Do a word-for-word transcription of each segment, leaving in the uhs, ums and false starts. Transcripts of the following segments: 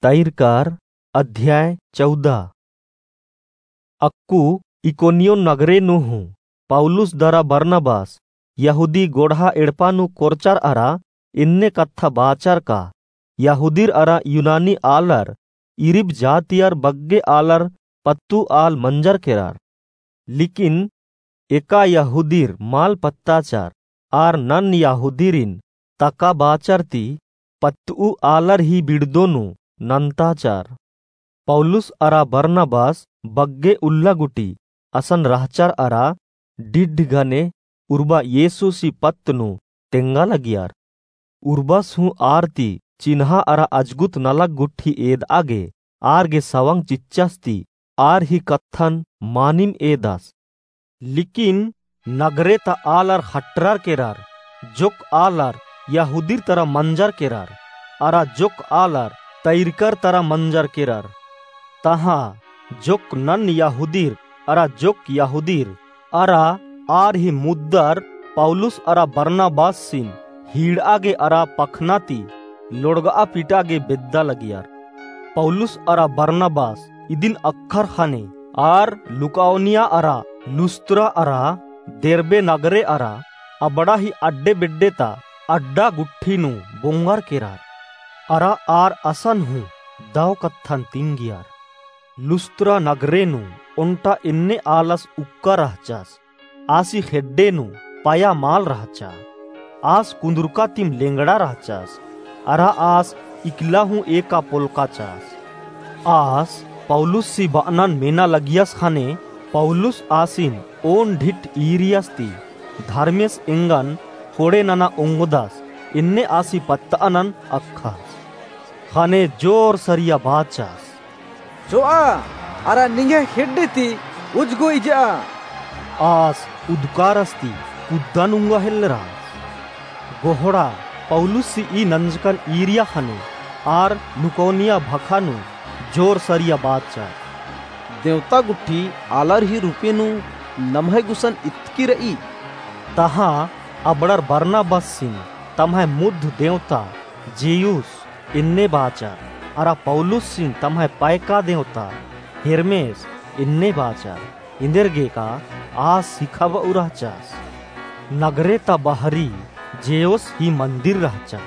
तैरकार, अध्याय चौदह। अक्कु इकोनियोन नगरे नू हूँ पौलुस दरा बरनबास यहूदी गोड़हा एड़पा नू कोरचर अरा एन्ने कत्था बाचर का यहूदीर अरा यूनानी आलर इरिब जातियर बग्गे आलर पत्तू आल मंजर केरर। लेकिन एका यहूदीर मल पत्ताचर, आर नन यहूदीरिन तका बाचर ती पत्तू आलर ही बिड़दो नू नन्ताचर। पौलुस अरा बरनबास बग्गे उल्ला गुटी असन रहचर अरा डिड्ढ गने उर्बा येसुसी पत्त नू तेंगा लगियर। उर्बस हूँ आर ती चिन्हा अरा अजगुत नलख गुट्ठी एदआ गे आर गे सवंग चिच्चस ती आर ही कत्थन मानिम एदस। लेकिन नगरे ता आलर हटरर केरर, जोक आलर यहूदीर तरा मंजर केरर, अरा जोक आलर तैरकर तरा मंजर केरर। तहाँ जोक नन यहूदीर अरा जोक यहूदीर अरा आर ही मुद्दर पौलुस अरा बरनबासिन हीड़आ गे अरा पखना ती लोड़गआ पिटआ गे बेद्दा लगियर। पौलुस अरा बरनबास इदिन अक्खर ख़ने आर लुकाओनिया अरा लुस्त्रा अरा देरबे नगरे अरा अबड़ा ही अड्डे बेड्डे ता अड्डा गुट्ठी नू बोंगर केरर। अरा आर असन हूँ दव कत्थन तिंगियर। लुस्त्रा नगरे नू ओन्टा एन्ने आलस उक्का रहचस। आसी ख़ेड्डे नू पया मल रहचा। आस कुन्दुरका तिम लेंगड़ा रहचस। अरा आस इकला हूँ एका पोलकाचस। आस पौलुससी बअनन मेना लगियस ख़ने पौलुस आसिन ओन ढिट ईरियस ती धर्मेस एंगन कोड़े नना ओंगदस एन्ने आसी पत्तअनन अक्खस। ख़ने जोर सरिया बाचस। चोआ, अरा निंग्है ख़ेड्डे ती उज्जगो इजआ। आस उदकारस ती कुद्दन उंगा हेल्लरा। गोहड़ा पौलुससी ई नंजकन ईरिया ख़ने आर लुकाओनिया भखा नू जोर सरिया बाचर। देवता गुट्ठी आलर ही रूपे नू नम्है गुसन इतकी रई। तहाँ अबड़र बरनबासिन तम्है मुद्ध देवता जेयुस एन्ने बाचर, अरा पौलुसिन तम्है पैका देवता हेर्मेस एन्ने बाचर, एन्देरगेका आस सिखाबउ रहचस। नगरे ता बहरी जेयुस ही मन्दिर रहचा।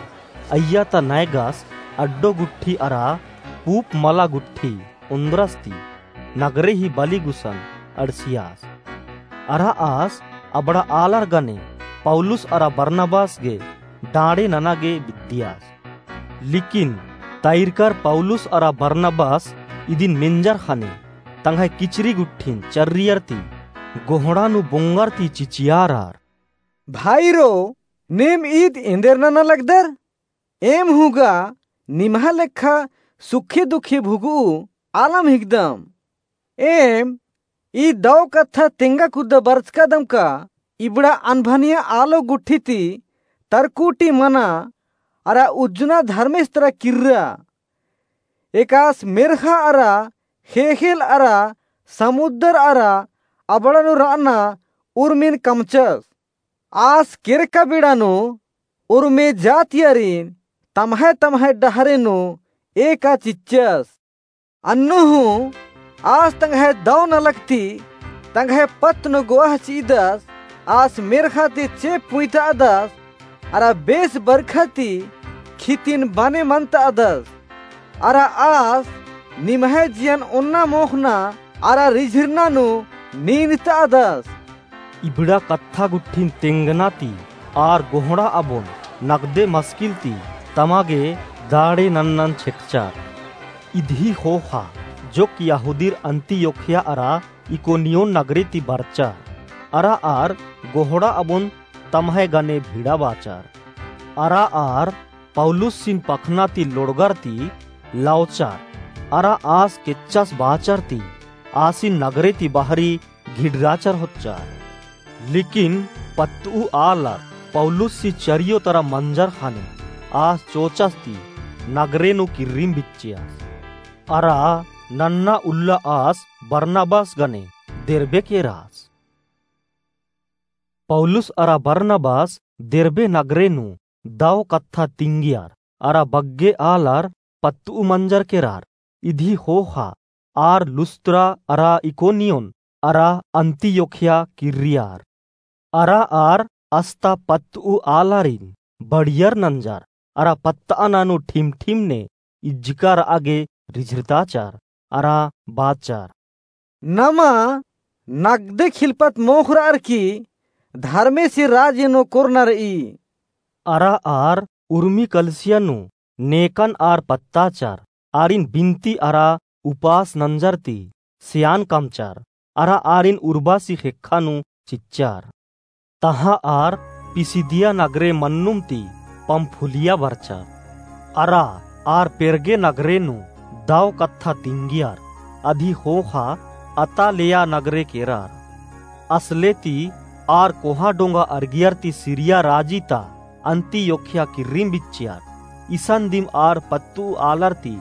अइय्या ता नैगस अड्डो गुट्ठी अरा पूप मला गुट्ठी ओन्द्रस ती नगरे ही बली गुसन अंड़सियास। अरा आस अबड़ा आलर गने पौलुस अरा बरनबास गे डाँड़े नना गे बिद्दियास। लेकिन तैरकर पौलुस अरा बरनबास इदिन मेंजर ख़ने तंग्है किचरी गुट्ठिन चर्रियर ती गोहड़ा नू बोंगर ती चिचियारर। भाईरो, नीम ईद एन्देर नना लगदर? एम हूँ गा निम्है लेखा सुखी दुखी भुगु आलम हिकदम। एम ई दव कत्था तेंगा कुद्दा बरचकादम का इबड़ा अनभनिया आलो गुट्ठी ती तरकुटी मना अरा उज्जना धर्मेस तरा किर्रा। एकास मेर्ख़ा अरा ख़ेख़ेल अरा समुद्दर अरा अबड़ा नू रअना उर्मिन कमचस। आस केरका बेड़ा नू उर्मी जातियारिन तम्है तम्है डहरे नू एका चिच्चस। अन्नु हूँ आस तंग्है दव नलख ती तंग्है पत्त नू गोअह चिदस। आस मेर्ख़ा ती चेंप पुइतादस अरा बेस बरखा ती खितिन बने मन्तादस। अरा आस निम्है जियन ओन्ना मोख़ना अरा रिझिरना नू नीनतादस। इबड़ा कत्था गुट्ठिन तेंगना ती आर गोहड़ा अबोन नगदे मसकिल ती तमा गे दाड़े नन्नन छेटचर। इदही ख़ोख़ा जोक यहूदीर अंतियोखिया अरा इकोनियोन नगरे ती बरचर। अरा आर गोहड़ा अबोन तम्है गने भिड़ा बाचर। अरा आर पौलुसिन पखना ती लोड़गर ती लौचर। अरा आस केच्चस बाचर ती आसिन नगरे ती बहरी घिड़राचर होच्चर। लेकिन पत्तू आलर पौलुससी चरियो तरा मंजर ख़ने आस चोचस ती नगरे नू किर्रिम बिच्चियस। अरा नन्ना उल्ला आस बरनबास गने देरबे केरास। पौलुस अरा बरनबास देरबे नगरे नू दव कत्था तिंगियर अरा बग्गे आलर पत्तउ मंजर केरार। इदी ख़ोख़ा आर लुस्त्रा अरा इकोनियोन अरा अन्तियोखिया किर्रियार। अरा आर अस्ता पत्तउ आलारिन बढ़ियर नंजर अरा पत्तअना नू ठिम-ठिम ने इज्जका रआ गे रिझरताचर अरा बाचर, नमा नगदे खिलपत मोख़रअर की धर्मेसी राजी नू कोरना रई। अरा आर उर्मी कलसिया नू नेकन आर पत्ताचर, आरिन बिनती अरा उपास नंजर ती सेयान कमचर, अरा आरिन उर्बासी ख़ेक्खा नू चिच्चर। तहाँ आर पिसिदिया नगरे मन्नुम ती पम्फुलिया बरचर। अरा आर पेरगे नगरे नू दव कत्था तिंगियर, अदी ख़ोख़ा अतालिया नगरे केरर। असले ती आर कोहाँ डोंगा अरगियर ती सिरिया राजी ता अन्तियोखिया किर्रिम बिच्चियर। इसन दिम आर पत्तउ आलर ती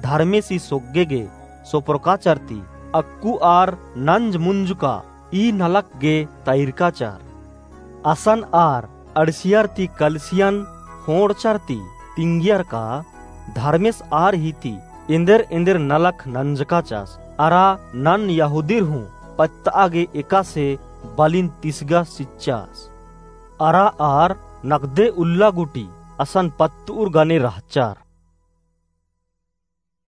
धर्मेसी सोग्गे गे सोपरकाचर ती अक्कु आर नंज मुंजुका ई नलख गे तइरकाचर। असन आर अंड़सियर ती कलसियन ख़ोंड़चर ती तिंगियर का धर्मेस आर ही ती एन्देर एन्देर नलख नंजकाचस, अरा नन यहूदीर हूँ पत्तआ गे एकासे बलिन तिसगा चिच्चस। अरा आर नगदे उल्ला गूटी असन पत्तउर गने रहचर।